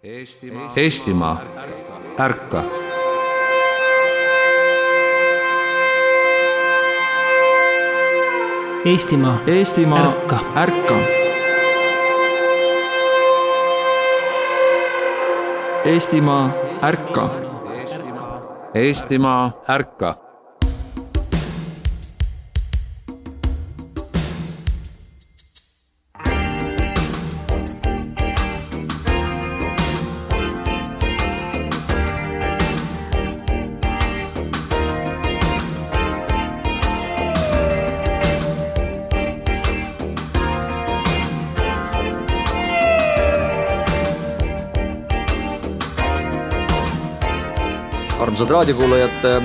Eestimaa, ärka! Eestimaa, ärka! Ärka! Eestimaa, ärka! Eestimaa, ärka! Armsad raadiokuulajad,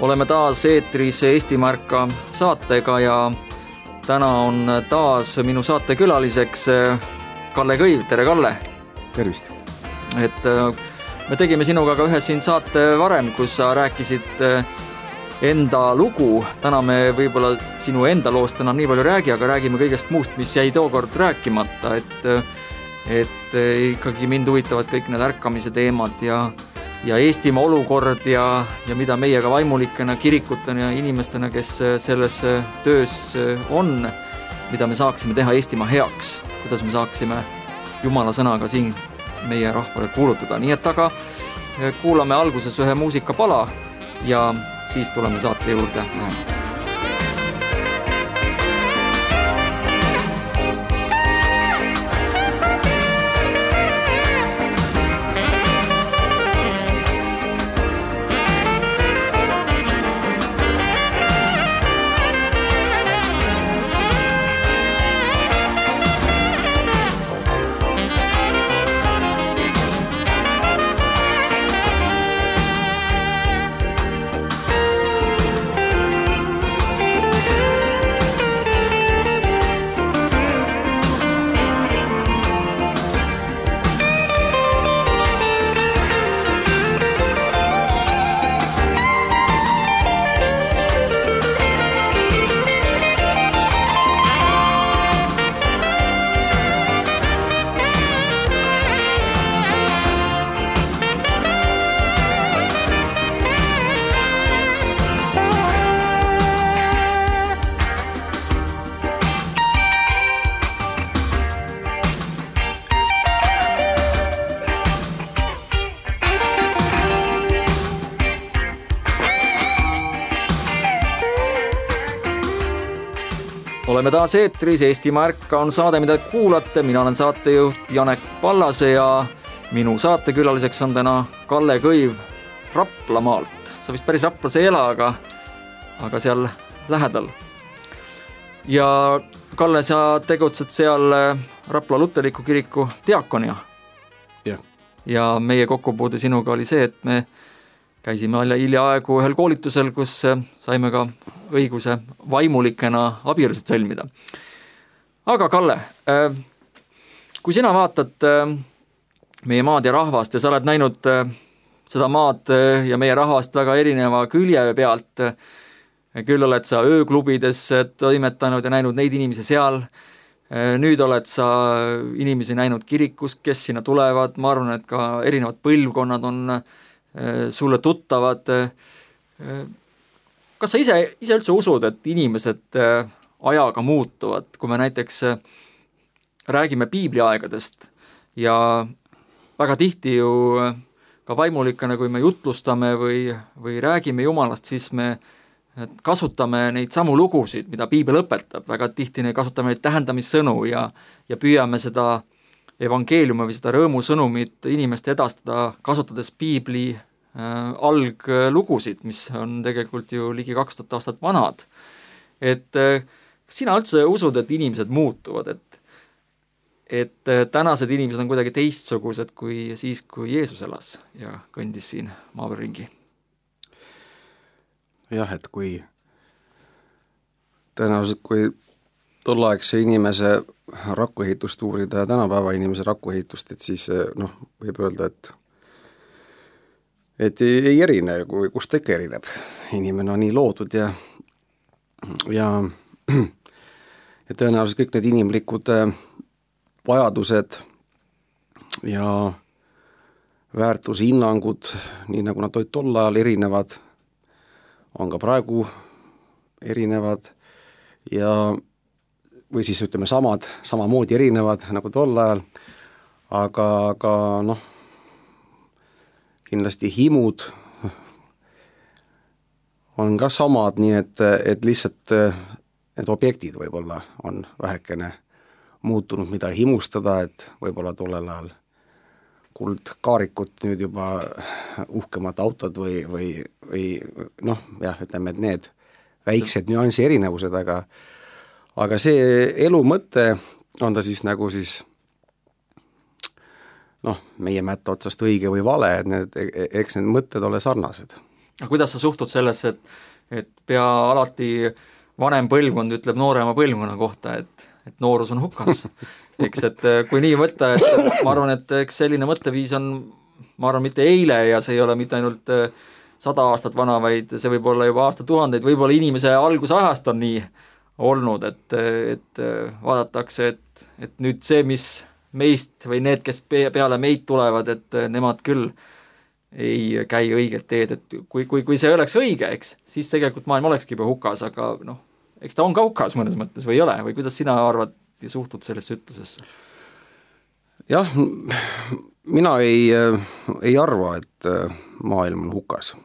oleme taas eetris Eestimaa ärka saatega ja täna on taas minu saate külaliseks Kalle Kõiv. Tere, Kalle! Tervist! Me tegime sinuga ka ühe siin saate varem, kus sa rääkisid enda lugu. Täna me võib-olla sinu enda loost enam nii palju räägi, aga räägime kõigest muust, mis jäi tookord rääkimata. Et ikkagi mind huvitavad kõik need ärkamise teemad ja Eestimaa olukord ja mida meie ka vaimulikena, kirikutena ja inimestena, kes selles töös on, mida me saaksime teha Eestimaa heaks, kuidas me saaksime Jumala sõnaga siin meie rahvale kuulutada. Nii et aga kuulame alguses ühe muusikapala ja siis tuleme saate juurde. Oleme taas eetris, Eestimaa ärka on saade, mida kuulate. Mina olen saatejuht Janek Pallase ja minu saatekülaliseks on täna Kalle Kõiv Raplamaalt. Sa vist päris Raplas ei ela, aga seal lähedal. Ja Kalle, sa tegutsed seal Rapla Luterliku kiriku diakonia. Ja meie kokkupuude sinuga oli see, et me käisime hiljaaegu ühel koolitusel, kus saime ka õiguse vaimulikena abielusid sõlmida. Aga Kalle, kui sina vaatad meie maad ja rahvast ja sa oled näinud seda maad ja meie rahvast väga erineva külje pealt, küll oled sa ööklubides toimetanud ja näinud neid inimesi seal, nüüd oled sa inimesi näinud kirikus, kes sinna tulevad, ma arvan, et ka erinevad põlvkonnad on sulle tuttavad. Kas sa ise üldse usud, et inimesed ajaga muutuvad, kui me näiteks räägime piibliaegadest ja väga tihti ju ka vaimulikana, kui me jutlustame või räägime Jumalast, siis me kasutame neid samu lugusid, mida piibel õpetab. Väga tihti kasutame neid tähendamissõnu ja püüame seda evangeeliumi või seda rõõmusõnumit inimeste edastada, kasutades piibli alglugusid, mis on tegelikult ju ligi 2000 aastat vanad. Kas sina üldse usud, et inimesed muutuvad, et tänased inimesed on kuidagi teistsugused kui siis, kui Jeesus elas ja kõndis siin maavil ringi? Jah, et kui tõenäoliselt, kui tolleaegse inimese rakuehitust uurida ja tänapäeva inimese rakuehitust, et siis võib öelda, et ei erine, kust ikka erineb. Inimene on nii loodud ja tõenäoliselt kõik need inimlikud vajadused ja väärtushinnangud, nii nagu nad olid tol ajal erinevad, on ka praegu erinevad ja või siis ütleme samamoodi erinevad nagu tol ajal, aga noh, kindlasti himud on ka samad, nii et lihtsalt need objektid võib-olla on vähekene muutunud, mida himustada, et võib-olla tollel ajal kuldkaarikut, nüüd juba uhkemad autod või noh, jah, ütleme, et need väiksed nüansi erinevused, aga see elu mõte on ta siis nagu siis noh, meie mätta otsast õige või vale, et eks need mõtted ole sarnased. Aga kuidas sa suhtud sellesse, et pea alati vanem põlvkond ütleb noorema põlvkonna kohta, et noorus on hukas? Eks, et kui nii võtta, et ma arvan, et eks selline mõtteviis on, ma arvan, mitte eile ja see ei ole mitte ainult 100 aastat vana, vaid see võib olla juba aastatuhandeid, võib-olla inimese algusajast on nii olnud, et vaadatakse, et nüüd see, mis meist või need, kes peale meid tulevad, et nemad küll ei käi õiget teed, et kui see oleks õige, eks, siis tegelikult maailm olekski juba hukas, aga noh, eks ta on ka hukas mõnes mõttes või ei ole, või kuidas sina arvad ja suhtud sellesse ütlusesse? Jah, mina ei arva, et maailm on hukas.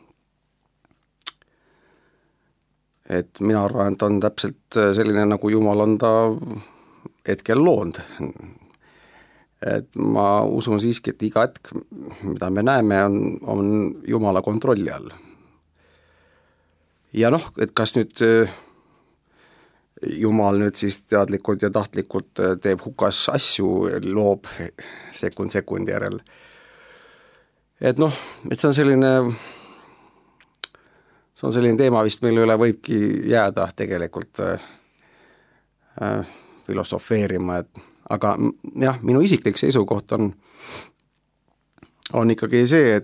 Et mina arvan, et on täpselt selline, nagu Jumal on ta hetkel loonud. Et ma usun siiski, et iga hetk, mida me näeme, on Jumala kontrolli all. Ja noh, et kas nüüd Jumal nüüd siis teadlikult ja tahtlikult teeb hukas asju, loob sekundi järel. Et noh, et see on selline teema vist, mille üle võibki jääda tegelikult filosofeerima, aga jah, minu isiklik seisukoht on ikkagi see,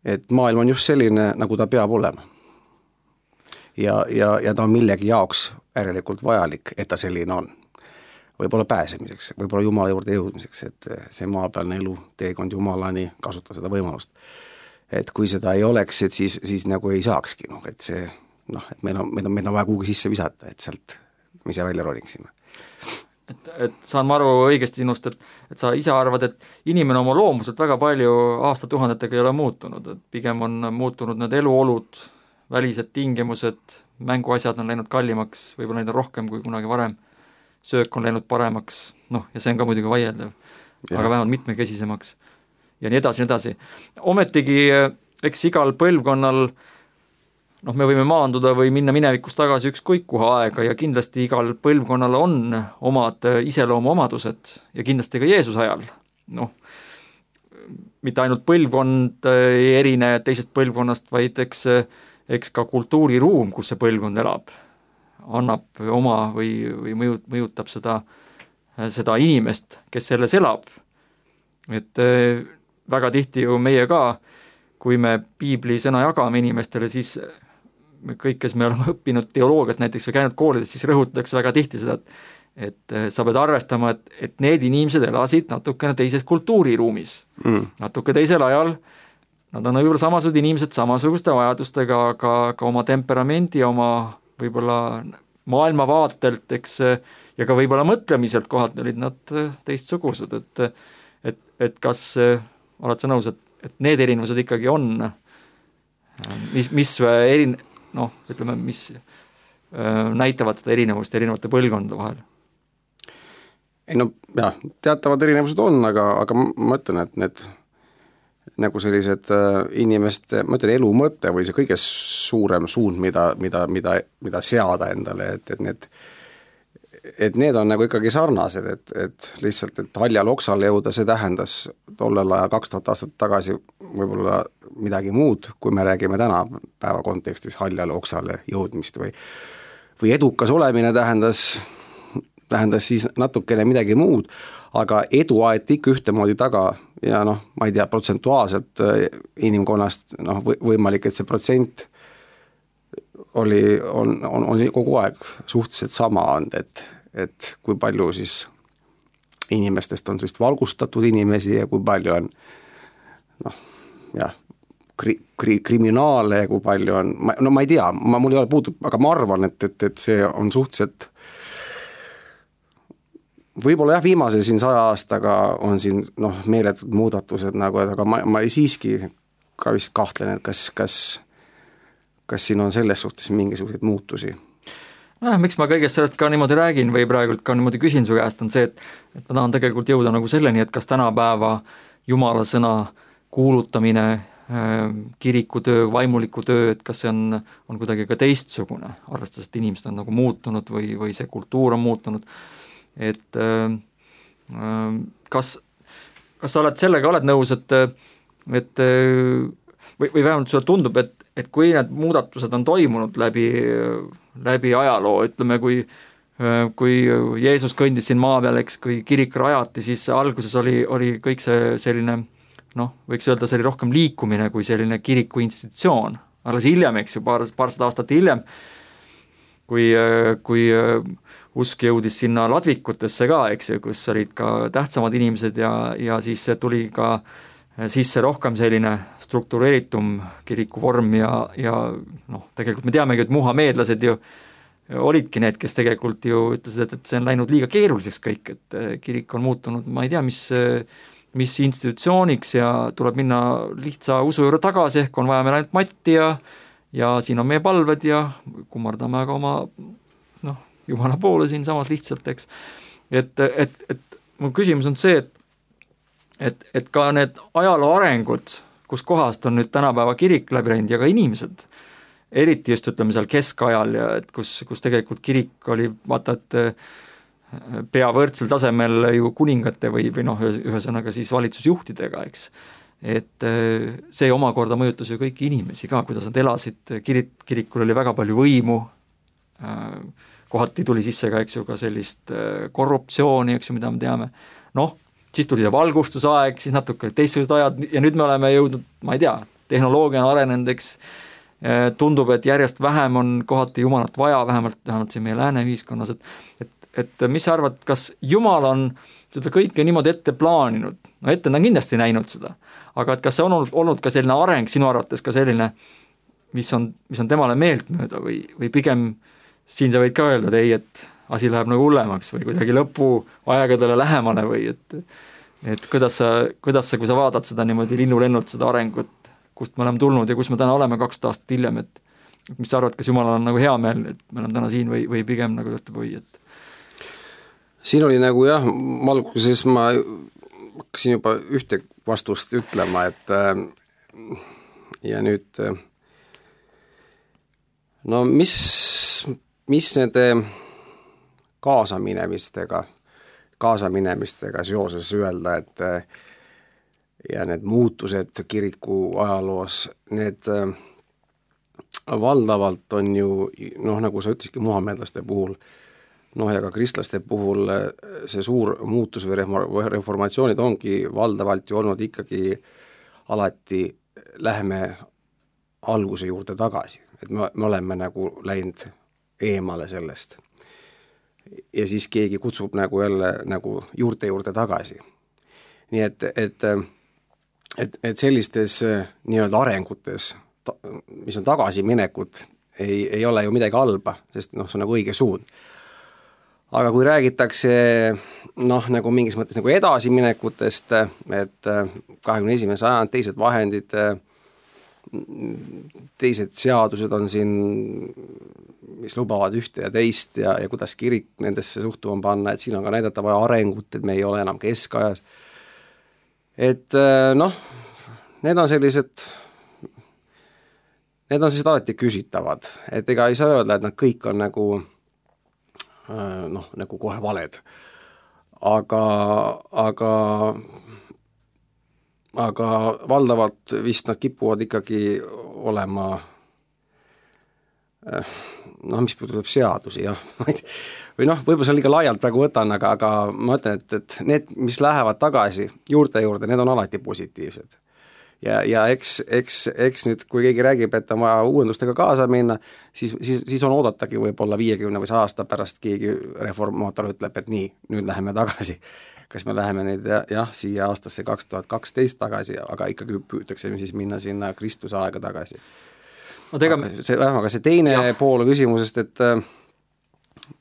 et maailm on just selline, nagu ta peab olema. Ja ta on millegi jaoks järelikult vajalik, et ta selline on. Võib-olla pääsemiseks, võib-olla Jumala juurde jõudmiseks, et see maapealne elu, teekond Jumalani, kasuta seda võimalust. Et kui seda ei oleks, et siis nagu ei saakski, et see, et meil on vaja kuhugi sisse visata, et sealt me ise välja roliksime. Et saan ma aru õigesti sinust, et sa ise arvad, et inimene oma loomuselt väga palju aastatuhandetega ei ole muutunud, et pigem on muutunud need eluolud, välised tingimused, mänguasjad on läinud kallimaks, võib-olla neid on rohkem kui kunagi varem, söök on läinud paremaks, ja see on ka muidugi vaieldav, aga vähemalt mitmekesisemaks ja nii edasi. Ometigi, eks igal põlvkonnal me võime maanduda või minna minevikus tagasi ükskõik kuhu aega ja kindlasti igal põlvkonnal on omad iseloomuomadused ja kindlasti ka Jeesuse ajal. Mitte ainult põlvkond ei erine teisest põlvkonnast, vaid eks ka kultuuriruum, kus see põlvkond elab, annab oma või mõjutab seda inimest, kes selles elab. Et väga tihti ju meie ka, kui me piibli sõna jagame inimestele, siis kõik, kes me oleme õppinud teoloogiat näiteks või käinud koolides, siis rõhutatakse väga tihti seda, et sa pead arvestama, et need inimesed elasid natukene teises kultuuriruumis, natuke teisel ajal, nad on võib-olla samasugused inimesed samasuguste vajadustega, aga ka oma temperamendi, oma võib-olla maailmavaatelt, eks, ja ka võib-olla mõtlemiselt kohalt olid nad teistsugused, et kas oled sa nõus, et need erinevused ikkagi on, mis näitavad seda erinevust erinevate põlvkondade vahel? Ei jah, teatavad erinevused on, aga ma ütlen, et need nagu sellised inimeste, ma ütlen, elu mõte või see kõige suurem suund, mida seada endale, et need on nagu ikkagi sarnased, et lihtsalt, et haljal oksale jõuda, see tähendas tollel ajal 2000 aastat tagasi võib-olla midagi muud, kui me räägime täna päeva kontekstis haljal oksale jõudmist või edukas olemine tähendas siis natukene midagi muud, aga edu aeti ikka ühtemoodi taga ja ma ei tea, protsentuaalselt inimkonnast võimalik, et see protsent on kogu aeg suhteliselt sama olnud, et kui palju siis inimestest on sellist valgustatud inimesi ja kui palju on kriminaale ja kui palju on, ma ei tea, mul ei ole puudub, aga ma arvan, et see on suhteliselt võib-olla jah, viimase siin 100 aastaga on siin meeletud muudatused nagu, et aga ma siiski ka vist kahtlen, et kas siin on selles suhtes mingisuguseid muutusi. Miks ma kõigest sellest ka niimoodi räägin või praegult ka niimoodi küsin su käest on see, et ma tahan tegelikult jõuda nagu selleni, et kas tänapäeva Jumala sõna kuulutamine, kirikutöö, vaimuliku töö, et kas see on kuidagi ka teistsugune, arvestades, et inimesed on nagu muutunud või see kultuur on muutunud, et kas sa oled sellega oled nõus, et või vähemalt sulle tundub, et kui need muudatused on toimunud läbi ajaloo, ütleme, kui Jeesus kõndis siin maa peal, eks, kui kirik rajati, siis alguses oli kõik see selline, võiks öelda, see oli rohkem liikumine kui selline kiriku institutsioon. Alles hiljem, eks ju, paarsada aastat hiljem, kui usk jõudis sinna ladvikutesse ka, eks ju, kus olid ka tähtsamad inimesed ja siis tuli ka sisse rohkem selline struktureeritum kiriku vorm ja tegelikult me teamegi, et muhameedlased ju olidki need, kes tegelikult ju ütlesid, et see on läinud liiga keeruliseks kõik, et kirik on muutunud, ma ei tea, mis institutsiooniks ja tuleb minna lihtsa usu juurde tagasi, ehk on vaja meil ainult matti ja siin on meie palved ja kummardame aga oma Jumala poole siin samas lihtsalt, eks. Et mu küsimus on see, et ka need ajaloo arengud, kus kohast on nüüd tänapäeva kirik läbi läinud ja ka inimesed, eriti just ütleme seal keskajal ja et kus tegelikult kirik oli, vaata, et pea võrdsel tasemel ju kuningate või ühesõnaga siis valitsusjuhtidega, eks. Et see omakorda mõjutas ju kõiki inimesi ka, kuidas nad elasid, kirikul oli väga palju võimu, kohati tuli sisse ka, eks ju, ka sellist korruptsiooni, eks ju, mida me teame. Siis tuli see valgustusaeg, siis natuke teistsugused ajad ja nüüd me oleme jõudnud, ma ei tea, tehnoloogia on arenenud, eks, tundub, et järjest vähem on kohati Jumalat vaja, vähemalt siin meie lääne ühiskonnas, et mis sa arvad, kas Jumal on seda kõike niimoodi ette plaaninud, ette ta on kindlasti näinud seda, aga et kas see on olnud ka selline areng sinu arvates ka selline, mis on temale meeltmööda või pigem siin sa võid ka öelda, et ei, et asi läheb nagu hullemaks või kuidagi lõpuaegadele lähemale või et kuidas sa, kui sa vaatad seda niimoodi linnulennult seda arengut, kust me oleme tulnud ja kus me täna oleme 2 aastat hiljem, et mis sa arvad, kas Jumalal on nagu hea meel, et me oleme täna siin või pigem nagu ütleb või, et siin oli nagu jah, alguses ma hakkasin juba ühte vastust ütlema, et ja nüüd mis nende kaasaminemistega seoses öelda, et ja need muutused kiriku ajaloos, need valdavalt on ju, nagu sa ütlesidki muhameedlaste puhul, ja ka kristlaste puhul see suur muutus või reformatsioonid ongi valdavalt ju olnud ikkagi alati läheme alguse juurde tagasi, et me oleme nagu läinud eemale sellest. Ja siis keegi kutsub nagu jälle nagu juurde tagasi. Nii et sellistes nii-öelda arengutes, mis on tagasiminekud, ei ole ju midagi halba, sest see on nagu õige suund. Aga kui räägitakse nagu mingis mõttes nagu edasiminekutest, et 21. sajand, teised vahendid, teised seadused on siin, mis lubavad ühte ja teist ja kuidas kirik nendesse suhtuma panna, et siin on ka näidata vaja arengut, et me ei ole enam keskajas. Et need on sellised alati küsitavad, et ega ei saa öelda, et nad kõik on nagu kohe valed. Aga valdavalt vist nad kipuvad ikkagi olema mis puudutab seadusi, jah. Või võib-olla see liiga laialt praegu võtan, aga ma ütlen, et need, mis lähevad tagasi juurde, need on alati positiivsed. Ja eks nüüd, kui keegi räägib, et on vaja uuendustega kaasa minna, siis on oodatagi võib-olla 50 või 100 aasta pärast keegi reformaator ütleb, et nii, nüüd läheme tagasi. kas me läheme nüüd siia aastasse 2012 tagasi, aga ikkagi püütakse siis minna sinna Kristuse aega tagasi. Aga see teine pool küsimusest, et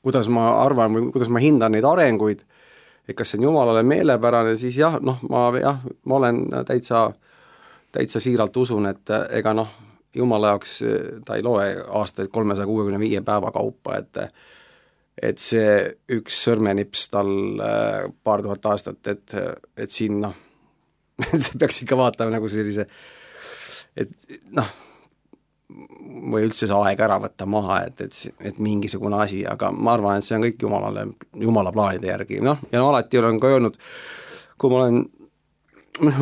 kuidas ma arvan või kuidas ma hindan neid arenguid, et kas see on Jumalale meelepärane, siis ma olen täitsa siiralt usun, et ega Jumala jaoks ta ei loe aastaid 365 päeva kaupa, et see üks sõrmenips tal paar tuhat aastat, et siin see peaks ikka vaatama nagu sellise, et või üldse see aeg ära võtta maha, et mingisugune asi, aga ma arvan, et see on kõik Jumala plaanide järgi. Ja alati olen ka öelnud, kui ma olen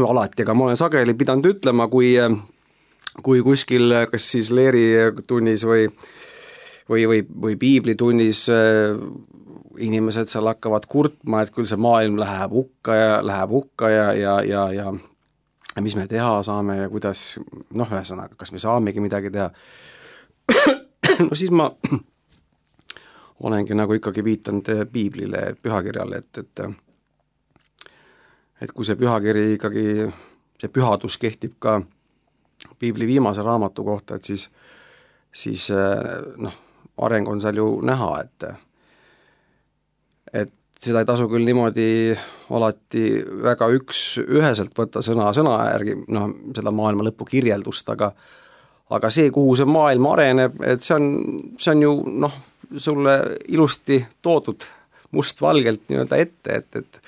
alati, aga ma olen sageli pidanud ütlema, kui kuskil kas siis leeritunnis või piiblitunnis inimesed seal hakkavad kurtma, et küll see maailm läheb hukka ja mis me teha saame ja kuidas, ühesõnaga, kas me saamegi midagi teha. Siis ma olengi nagu ikkagi viitanud piiblile, pühakirjale, et kui see pühakiri ikkagi, see pühadus kehtib ka piibli viimase raamatu kohta, et siis areng on seal ju näha, et seda ei tasu küll niimoodi alati väga üheselt võtta sõna järgi, seda maailma lõpu kirjeldust, aga see, kuhu see maailm areneb, et see on ju sulle ilusti toodud mustvalgelt nii-öelda ette, et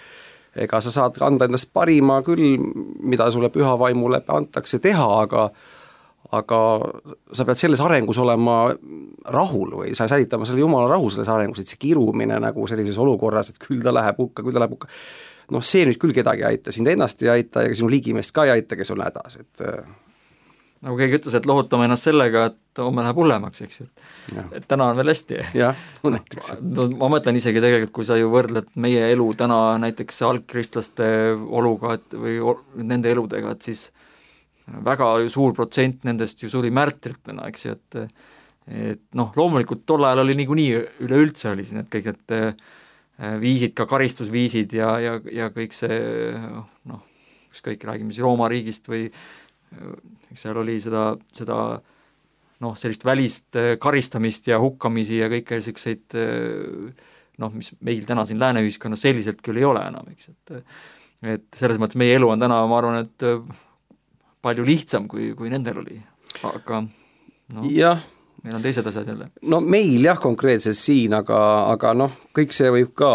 ega sa saad anda endast parima küll, mida sulle püha vaimule antakse teha, aga sa pead selles arengus olema rahul või sa säilitama selle Jumala rahu selles arengus, et see kirumine nagu sellises olukorras, et küll ta läheb hukka, see nüüd küll kedagi ei aita, sind ennast ei aita ja sinu ligimeest ka ei aita, kes on hädas, et nagu keegi ütles, et lohutame ennast sellega, et homme läheb hullemaks, eks ju. Et täna on veel hästi. Jah, näiteks. Ma mõtlen isegi tegelikult, kui sa ju võrdled meie elu täna näiteks algkristlaste oluga või nende eludega, et siis väga suur protsent nendest ju suri märtritena, eks ju, et loomulikult tol ajal oli niikuinii üleüldse oli siin, et kõik need viisid, ka karistusviisid ja kõik see, ükskõik, räägime siis Rooma riigist või seal oli seda sellist välist karistamist ja hukkamisi ja kõike selliseid, mis meil täna siin lääne ühiskonnas selliselt küll ei ole enam, eks, et selles mõttes meie elu on täna, ma arvan, et palju lihtsam, kui nendel oli, aga meil on teised asjad jälle. Meil konkreetselt siin, aga kõik see võib ka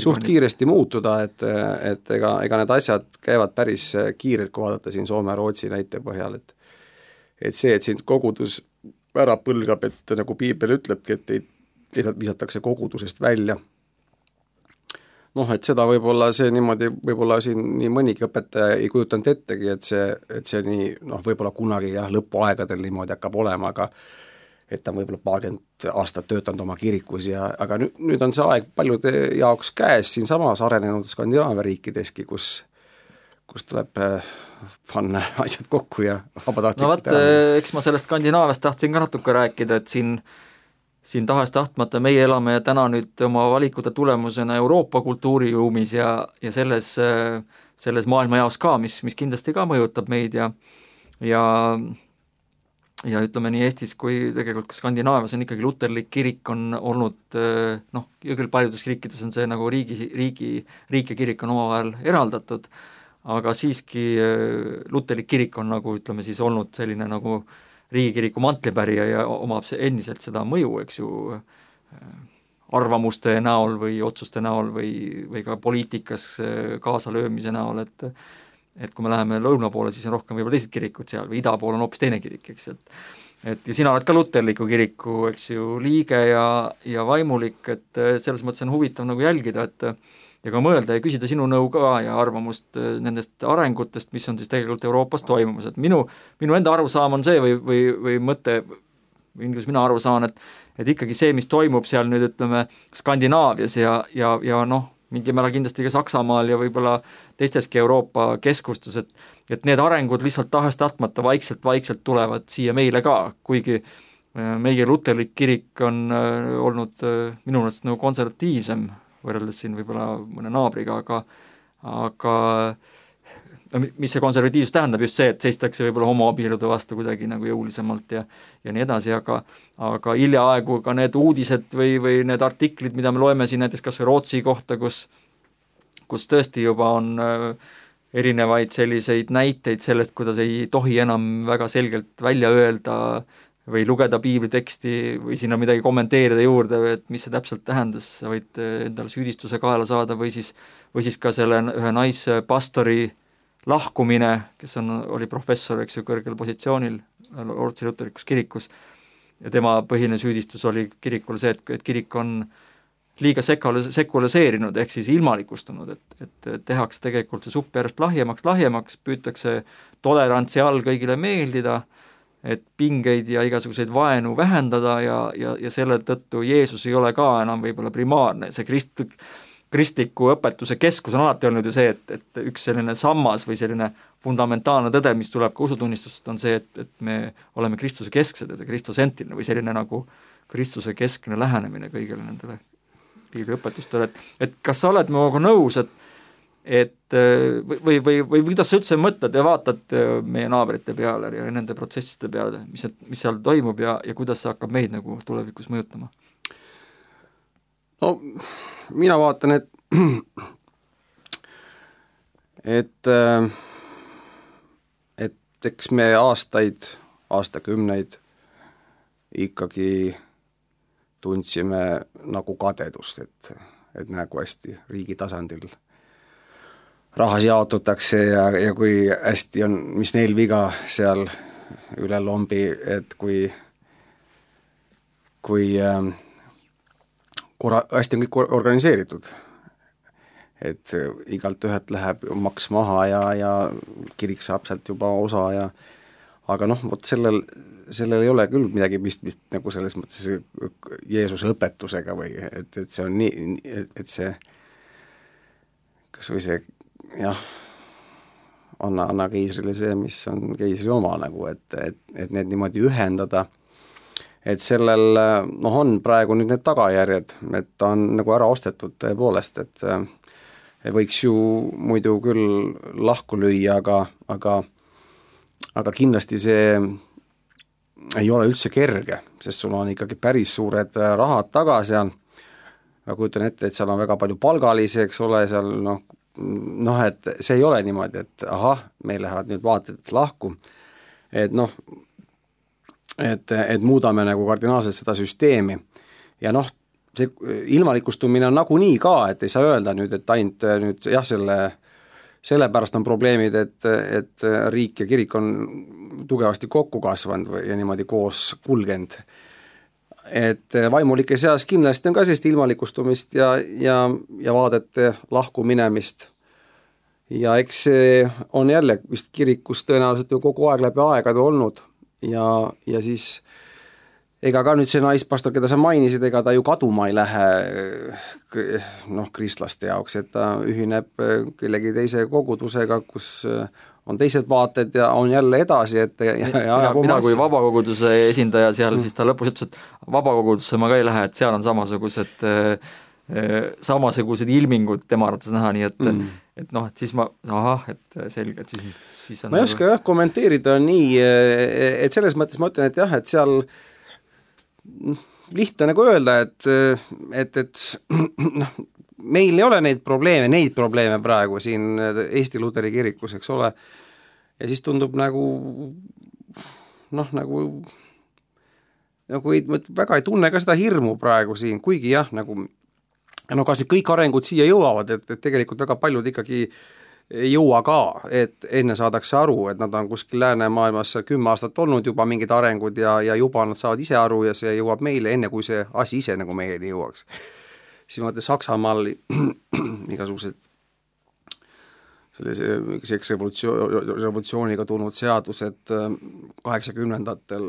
suht kiiresti muutuda, et ega need asjad käivad päris kiirelt, kui vaadata siin Soome-Rootsi näite põhjal, et see, et siin kogudus ära põlgab, et nagu piibel ütlebki, et visatakse kogudusest välja. Et seda võib-olla see niimoodi, võib-olla siin nii mõnigi õpetaja ei kujutanud ettegi, et see nii, võib-olla kunagi lõpuaegadel niimoodi hakkab olema, aga et ta on võib-olla 20 aastat töötanud oma kirikus aga nüüd on see aeg paljude jaoks käes siin samas arenenud Skandinaavia riikideski, kus tuleb panna asjad kokku ja vabatahtlikult eks ma sellest Skandinaaviast tahtsin ka natuke rääkida, et siin tahes-tahtmata meie elame ja täna nüüd oma valikute tulemusena Euroopa kultuuriruumis ja selles maailma jaos ka, mis kindlasti ka mõjutab meid ja ütleme nii Eestis kui tegelikult ka Skandinaavias on ikkagi luterlik kirik on olnud, ja küll paljudes riikides on see nagu riik ja kirik on omavahel eraldatud, aga siiski luterlik kirik on nagu ütleme siis olnud selline nagu riigikiriku mantlipärija ja omab see endiselt seda mõju, eks ju, arvamuste näol või otsuste näol või ka poliitikas kaasalöömise näol, et kui me läheme lõuna poole, siis on rohkem võib-olla teised kirikud seal või ida pool on hoopis teine kirik, eks, et ja sina oled ka luterliku kiriku, eks ju, liige ja vaimulik, et selles mõttes on huvitav nagu jälgida, et ja ka mõelda ja küsida sinu nõu ka ja arvamust nendest arengutest, mis on siis tegelikult Euroopas toimumas, et minu enda arusaam on see või mõte, kuidas mina aru saan, et ikkagi see, mis toimub seal nüüd ütleme Skandinaavias ja mingi määral kindlasti ka Saksamaal ja võib-olla teisteski Euroopa keskustes, et need arengud lihtsalt tahes-tahtmata vaikselt tulevad siia meile ka, kuigi meie luterlik kirik on olnud minu meelest nagu konservatiivsem võrreldes siin võib-olla mõne naabriga, aga no, mis see konservatiivsus tähendab, just see, et seistakse võib-olla homoabielude vastu kuidagi nagu jõulisemalt ja nii edasi, aga hiljaaegu ka need uudised või need artiklid, mida me loeme siin näiteks kas või Rootsi kohta, kus tõesti juba on erinevaid selliseid näiteid sellest, kuidas ei tohi enam väga selgelt välja öelda või lugeda piibliteksti või sinna midagi kommenteerida juurde, et mis see täpselt tähendas, sa võid endale süüdistuse kaela saada või siis ka selle ühe naispastori lahkumine, kes oli professor, eks ju, kõrgel positsioonil Rootsi luterlikus kirikus ja tema põhiline süüdistus oli kirikule see, et kirik on liiga sekuliseerinud ehk siis ilmalikustunud, et tehakse tegelikult see supp järjest lahjemaks, püütakse tolerantsi all kõigile meeldida, et pingeid ja igasuguseid vaenu vähendada ja selle tõttu Jeesus ei ole ka enam võib-olla primaarne, see kristliku õpetuse keskus on alati olnud ju see, et üks selline sammas või selline fundamentaalne tõde, mis tuleb ka usutunnistust, on see, et me oleme Kristuse kesksed, et kristosentriline või selline nagu Kristuse keskne lähenemine kõigile nendele piiliõpetustele, et kas sa oled minuga nõus, või kuidas sa üldse mõtled ja vaatad meie naabrite peale ja nende protsesside peale, mis seal toimub ja kuidas see hakkab meid nagu tulevikus mõjutama? No mina vaatan, et eks me aastakümneid ikkagi tundsime nagu kadedust, et nagu hästi riigi tasandil rahas jaotutakse ja kui hästi on, mis neil viga seal üle lombi, et kui hästi on kõik organiseeritud, et igalt ühelt läheb maks maha ja kirik saab sealt juba osa aga noh, vot sellel ei ole küll midagi pistmist nagu selles mõttes Jeesuse õpetusega või et see on nii, et see kas või see jah, anna keisrile see, mis on keisri oma nagu, et need niimoodi ühendada, et sellel on praegu nüüd need tagajärjed, et ta on nagu ära ostetud tõepoolest, et võiks ju muidu küll lahku lüüa, aga kindlasti see ei ole üldse kerge, sest sul on ikkagi päris suured rahad taga seal, ma kujutan ette, et seal on väga palju palgalisi, eks ole, seal et see ei ole niimoodi, et ahah, meil lähevad nüüd vaated lahku, et et muudame nagu kardinaalselt seda süsteemi ja see ilmalikustumine on nagunii ka, et ei saa öelda nüüd, et ainult nüüd jah, sellepärast on probleemid, et riik ja kirik on tugevasti kokku kasvanud ja niimoodi koos kulgenud. Et vaimulike seas kindlasti on ka sellist ilmalikustumist ja vaadete lahku minemist. Ja eks see on jälle vist kirikus tõenäoliselt ju kogu aeg läbi aegade olnud ja siis ega ka nüüd see naispastor, keda sa mainisid, ega ta ju kaduma ei lähe kristlaste jaoks, et ta ühineb kellegi teise kogudusega, kus on teised vaated ja on jälle edasi, et mina kui vabakoguduse esindaja seal, siis ta lõpus ütles, et vabakogudusse ma ka ei lähe, et seal on samasugused ilmingud tema arvates näha, nii et et siis et selge, et siis on ma ei oska kommenteerida nii, et selles mõttes ma ütlen, et jah, et seal lihtne nagu öelda, et meil ei ole neid probleeme praegu siin Eesti Luteri kirikus, eks ole, ja siis tundub nagu väga ei tunne ka seda hirmu praegu siin, kuigi jah, kas kõik arengud siia jõuavad, et tegelikult väga paljud ikkagi ei jõua ka, et enne saadakse aru, et nad on kuskil läänemaailmas 10 aastat olnud juba mingid arengud ja juba nad saavad ise aru ja see jõuab meile enne, kui see asi ise nagu meieni jõuaks. Siis vaata Saksamaal igasugused selliseks revolutsiooniga tulnud seadused 80-ndatel,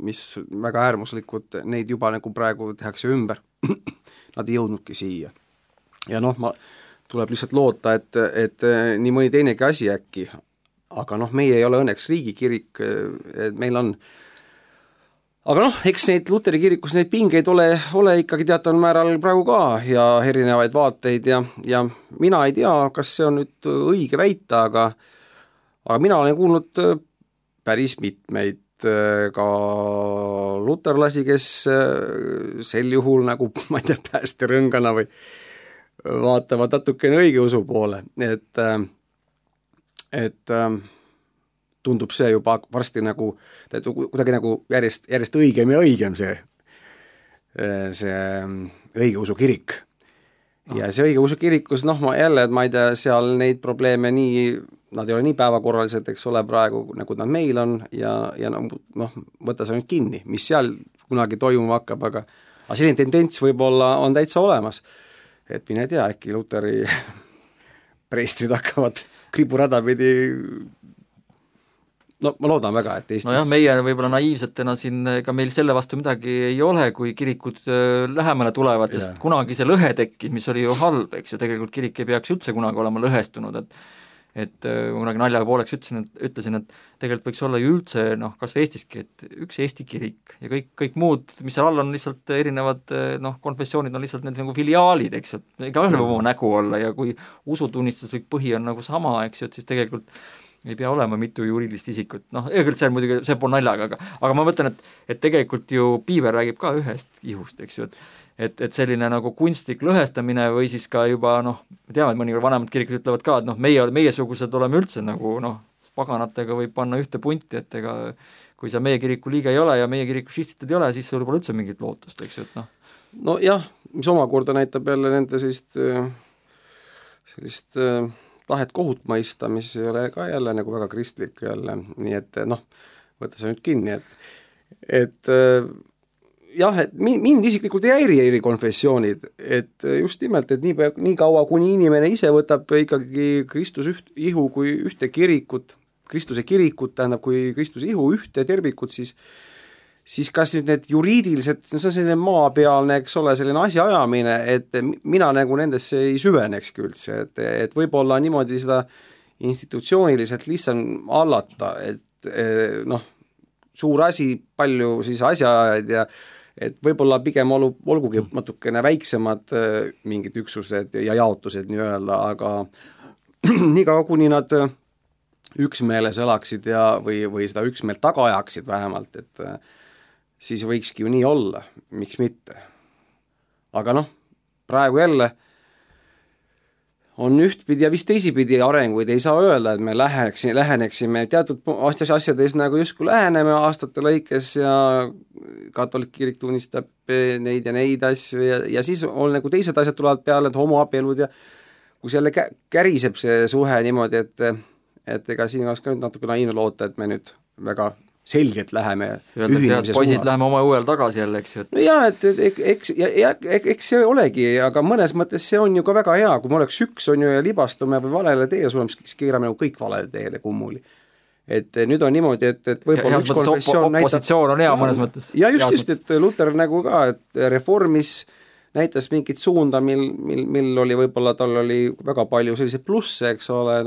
mis väga äärmuslikud, neid juba nagu praegu tehakse ümber. Nad ei jõudnudki siia. Ja tuleb lihtsalt loota, et nii mõni teinegi asi äkki, aga meie ei ole õnneks riigikirik, et meil on aga noh, eks neid Luteri kirikus neid pingeid ole ikkagi teataval määral praegu ka ja erinevaid vaateid ja mina ei tea, kas see on nüüd õige väita, aga mina olen kuulnud päris mitmeid ka luterlasi, kes sel juhul nagu, ma ei tea, päästerõngana või vaatavad natukene õigeusu poole, et tundub see juba varsti nagu, kuidagi nagu järjest õigem ja õigem see õigeusu kirik. Ja see õigeusu kirikus, ma ei tea, seal neid probleeme nad ei ole nii päevakorralised, eks ole, praegu, nagu nad meil on ja võtta see nüüd kinni, mis seal kunagi toimuma hakkab, aga selline tendents võib-olla on täitsa olemas. Et mine tea, äkki Luteri preestrid hakkavad kriburada pidi. No ma loodan väga, et Eestis... Nojah, meie võib-olla naiivsetena siin, ega meil selle vastu midagi ei ole, kui kirikud lähemale tulevad, sest kunagi see lõhe tekkis, mis oli ju halb, eks ja tegelikult kirik ei peaks üldse kunagi olema lõhestunud, et kunagi naljaga pooleks ütlesin, et tegelikult võiks olla ju üldse, kas või Eestiski, et üks Eesti kirik ja kõik muud, mis seal all on lihtsalt erinevad, konfessioonid on lihtsalt need nagu filiaalid, eks ju, ega ühel oma nägu olla ja kui usutunnistuslik põhi on nagu sama, eks ju, et siis tegelikult ei pea olema mitu juriidilist isikut, küll see on muidugi, see pool naljaga, aga ma mõtlen, et tegelikult ju piiber räägib ka ühest ihust, eks ju, et selline nagu kunstlik lõhestamine või siis ka juba, me teame, et mõnikord vanemad kirikud ütlevad ka, et meiesugused oleme üldse nagu, paganatega võib panna ühte punti, et ega kui sa meie kiriku liige ei ole ja meie kiriku šistitud ei ole, siis sul pole üldse mingit lootust, eks ju, et No jah, mis omakorda näitab jälle nende sellist tahet kohut mõista, mis ei ole ka jälle nagu väga kristlik jälle, nii et võtta see nüüd kinni, et jah, et mind isiklikult ei häiri konfessioonid, et just nimelt, et nii kaua, kuni inimene ise võtab ikkagi Kristuse ihu kui ühte kirikut, Kristuse kirikut, tähendab, kui Kristuse ihu ühte tervikut, siis kas nüüd need juriidilised, see on selline maapealne, eks ole, selline asjaajamine, et mina nagu nendesse ei süvenekski üldse, et võib-olla niimoodi seda institutsiooniliselt lihtsalt allata, et suur asi, palju siis asjaajaid ja et võib-olla pigem olgugi natukene väiksemad mingid üksused ja jaotused nii-öelda, aga niikaua kuni nad üksmeeles elaksid või seda üksmeelt taga ajaksid vähemalt, et siis võikski ju nii olla, miks mitte. Aga praegu jälle on ühtpidi ja vist teisipidi arenguid, ei saa öelda, et me läheneksime teatud asjades nagu justkui läheneme aastate lõikes ja katoliik kirik tunnistab neid ja neid asju ja siis on nagu teised asjad tulevad peale, et homoabielud ja kui selle käriseb see suhe niimoodi, et ega siin oleks ka nüüd natuke naiivne loota, et me nüüd väga selgelt läheme ühinemise poisid läheme oma õuel tagasi jälle, eks ju. No jaa, eks see olegi, aga mõnes mõttes see on ju ka väga hea, kui me oleks üks on ju ja libastume või valele teele suleme, siis keerame nagu kõik valele teele kummuli. Et nüüd on niimoodi, et võib-olla üks konfessioon näitab... Opositsioon on hea mõnes mõttes. Ja just, et Luter nagu ka, et reformis näitas mingit suunda, mil oli võib-olla, tal oli väga palju selliseid plusse, eks ole,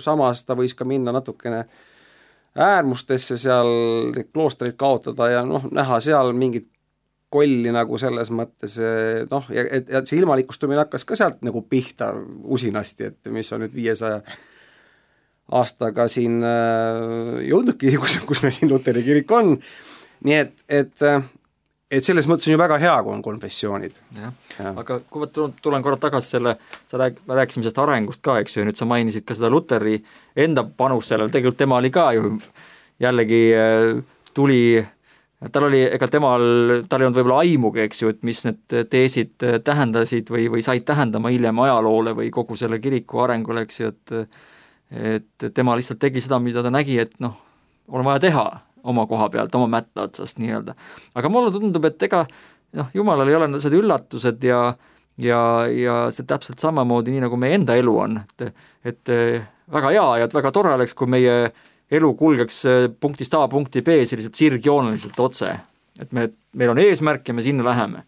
samas ta võis ka minna natukene äärmustesse seal kloostreid kaotada ja näha seal mingit kolli nagu selles mõttes, ja see ilmalikustumine hakkas ka sealt nagu pihta usinasti, et mis on nüüd 500 aastaga siin jõudnudki, kus me siin Luteri kirik on, nii et selles mõttes on ju väga hea, kui on konfessioonid. Aga kui ma tulen korra tagasi rääkisime sellest arengust ka, eks ju, ja nüüd sa mainisid ka seda Luteri enda panus sellel, tegelikult tema oli ka ju jällegi tal ei olnud võib-olla aimugi, eks ju, et mis need teesid tähendasid või said tähendama hiljem ajaloole või kogu selle kiriku arengule, eks ju, et tema lihtsalt tegi seda, mida ta nägi, et on vaja teha oma koha pealt, oma mätta otsast nii-öelda. Aga mulle tundub, et ega Jumalal ei ole need üllatused ja see täpselt samamoodi nii, nagu meie enda elu on. Et väga hea ja väga tore oleks, kui meie elu kulgeks punktist A punkti B selliselt sirgjooneliselt otse. Et meil on eesmärk ja me sinna läheme.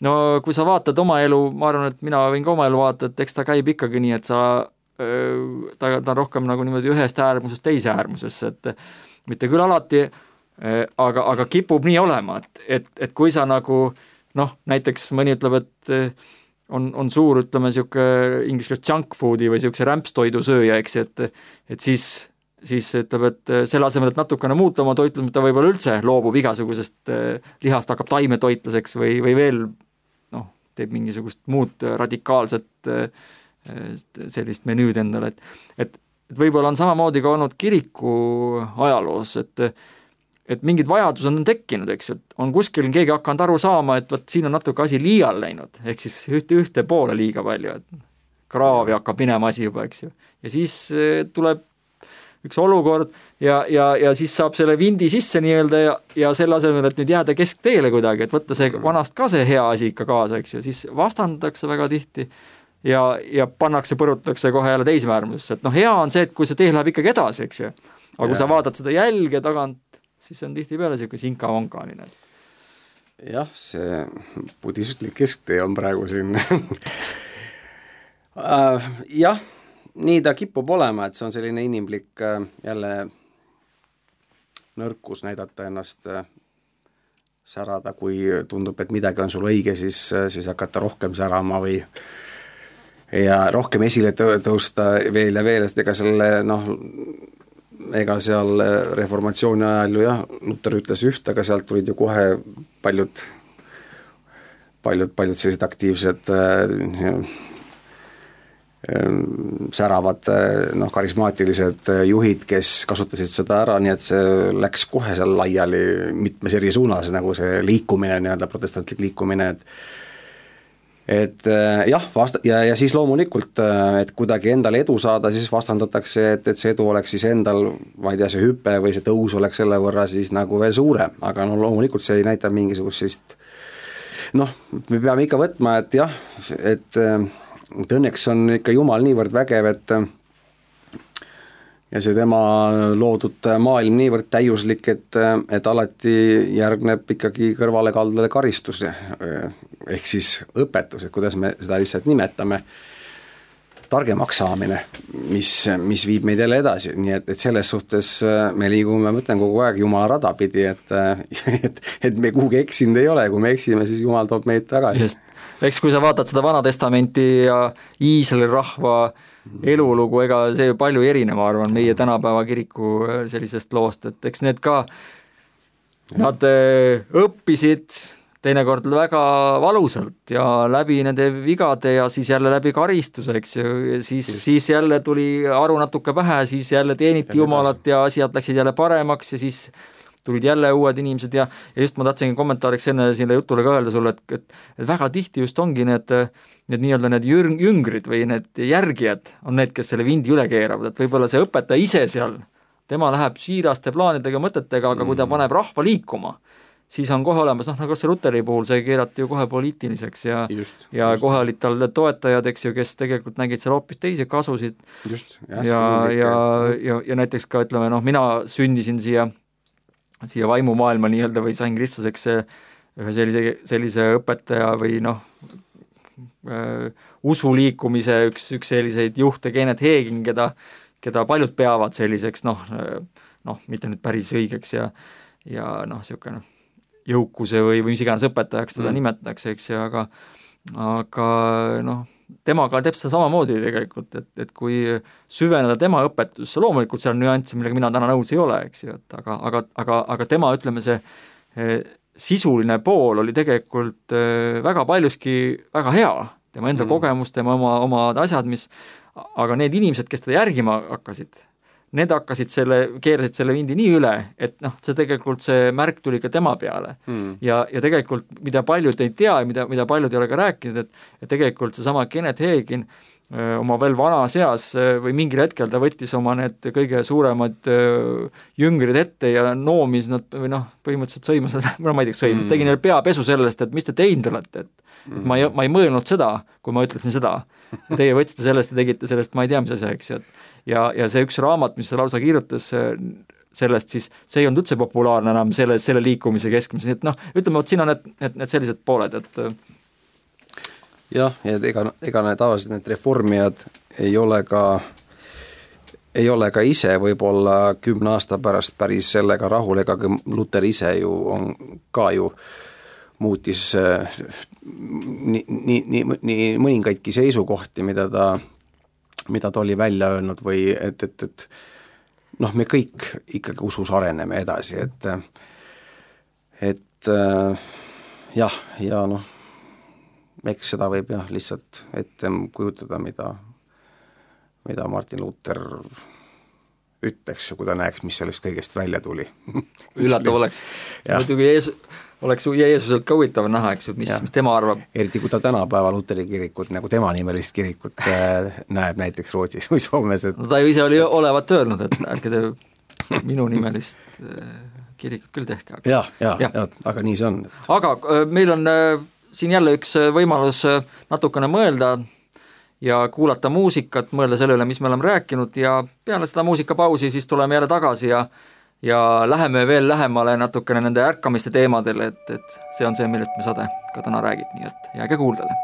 No kui sa vaatad oma elu, ma arvan, et mina võin ka oma elu vaata, et eks ta käib ikkagi nii, et ta on rohkem nagu niimoodi ühest äärmusest teise äärmusesse, et mitte küll alati aga kipub nii olema, et kui sa nagu näiteks mõni ütleb, et on suur, ütleme, siuke inglise keeles junk foodi või siukse rämpstoidu sööja, eks, et siis ütleb, et selle asemel, et natukene muuta oma toitlus, ta võib-olla üldse loobub igasugusest lihast, hakkab taimetoitlaseks või veel teeb mingisugust muud radikaalset sellist menüüd endale, et võib-olla on samamoodi ka olnud kiriku ajaloos, et mingid vajadused on tekkinud, eks, et on kuskil keegi hakanud aru saama, et võt siin on natuke asi liial läinud, ehk siis ühte poole liiga palju, et kraavi hakkab minema asi juba, eks ju. Ja siis tuleb üks olukord ja siis saab selle vindi sisse nii-öelda ja selle asemel, et nüüd jääda keskteele kuidagi, et võtta see vanast ka see hea asi ikka kaasa, eks ju, siis vastandatakse väga tihti ja põrutatakse kohe jälle teismäärmusesse, et hea on see, et kui see tee läheb ikkagi edasi, eks ju, aga kui sa vaatad seda jälge tagant, siis on tihti peale siuke sinka-vonkaline. Jah, see budistlik kesktee on praegu siin jah, nii ta kipub olema, et see on selline inimlik jälle nõrkus näidata ennast särada, kui tundub, et midagi on sul õige, siis hakata rohkem särama või ja rohkem esile tõusta veel ja veel, sest ega seal reformatsiooni ajal ju jah, Luther ütles üht, aga sealt tulid ju kohe paljud sellised aktiivsed säravad karismaatilised juhid, kes kasutasid seda ära, nii et see läks kohe seal laiali mitmes eri suunas, nagu see liikumine, nii-öelda protestantlik liikumine, et jah, ja siis loomulikult, et kuidagi endale edu saada, siis vastandatakse, et see edu oleks siis endal, ma ei tea, see hüpe või see tõus oleks selle võrra siis nagu veel suurem, aga loomulikult see ei näita mingisugust sellist, me peame ikka võtma, et jah, et õnneks on ikka Jumal niivõrd vägev, ja see tema loodud maailm niivõrd täiuslik, et alati järgneb ikkagi kõrvalekaldele karistus, ehk siis õpetus, et kuidas me seda lihtsalt nimetame, targemaks saamine, mis viib meid jälle edasi, nii et selles suhtes me liigume, ma mõtlen kogu aeg Jumala rada pidi, et me kuhugi eksinud ei ole, kui me eksime, siis Jumal toob meid tagasi. Eks kui sa vaatad seda Vana Testamenti ja Iisraeli rahva elulugu, ega see palju erinema, arvan, meie tänapäeva kiriku sellisest loost, et eks need ka, nad õppisid teinekord väga valusalt ja läbi nende vigade ja siis jälle läbi karistuse, eks ju, siis jälle tuli aru natuke pähe, siis jälle teeniti Jumalat ja asjad läksid jälle paremaks ja siis tulid jälle uued inimesed ja just ma tahtsingi kommentaariks enne selle jutule ka öelda sulle, et väga tihti just ongi need nii-öelda need jüngrid või need järgijad on need, kes selle vindi üle keeravad, et võib-olla see õpetaja ise seal, tema läheb siiraste plaanidega, mõtetega, aga kui ta paneb rahva liikuma, siis on kohe olemas, nagu see Luteri puhul, see keerati ju kohe poliitiliseks ja kohe olid tal toetajad, eks ju, kes tegelikult nägid seal hoopis teisi kasusid. Ja näiteks ka, ütleme, mina sündisin siia vaimumaailma nii-öelda või sain kristlaseks ühe sellise õpetaja või usuliikumise üks selliseid juhte, Kenneth Hagin, keda paljud peavad selliseks, mitte nüüd päris õigeks ja niisugune jõukuse või mis iganes õpetajaks teda nimetatakse, eks ju, aga temaga teeb seda samamoodi tegelikult, et kui süveneda tema õpetusse, loomulikult seal on nüansse, millega mina täna nõus ei ole, eks ju, aga tema, ütleme, see sisuline pool oli tegelikult väga paljuski väga hea, tema enda kogemus, tema oma asjad, aga need inimesed, kes teda järgima hakkasid, need keerasid selle vindi nii üle, et see tegelikult see märk tuli ka tema peale. Ja tegelikult, mida paljud ei tea ja mida paljud ei ole ka rääkinud, et tegelikult seesama Kenneth Hagin oma veel vanas eas või mingil hetkel ta võttis oma need kõige suuremad jüngrid ette ja noomis nad või põhimõtteliselt sõimas, ma ei tea, sõimas, tegi neile peapesu sellest, et mis te teinud olete, et ma ei mõelnud seda, kui ma ütlesin seda. Teie võtsite sellest ja tegite sellest, ma ei tea, mis asja, eks. Ja see üks raamat, mis ta lausa kirjutas sellest, siis see ei olnud üldse populaarne enam selle liikumise keskmises. Et ütleme, et siin on need sellised pooled, et jah, ja ega need tavaliselt need reformijad ei ole ka ei ole ka ise võib-olla 10 aasta pärast päris sellega rahul, ega Luter ise ju on ka ju muutis nii mõningaidki seisukohti, mida ta oli välja öelnud või et noh, me kõik ikkagi usus areneme edasi, et jah, ja noh, eks seda võib jah lihtsalt ette kujutada, mida Martin Luther ütleks ja kui ta näeks, mis sellest kõigest välja tuli. Üllatav oleks. Muidugi oleks Jeesuselt ka huvitav näha, eks ju, mis tema arvab. Eriti kui ta tänapäeva Luteri kirikut, nagu tema nimelist kirikut näeb näiteks Rootsis või Soomes. No ta ju ise oli olevat öelnud, et ärge te minu nimelist kirikut küll tehke. Ja, aga nii see on. Aga meil on siin jälle üks võimalus natukene mõelda ja kuulata muusikat, mõelda selle üle, mis me oleme rääkinud ja peale seda muusikapausi siis tuleme jälle tagasi ja läheme veel lähemale natukene nende ärkamiste teemadele, et see on see, millest me saade ka täna räägib, nii et jääge kuuldele.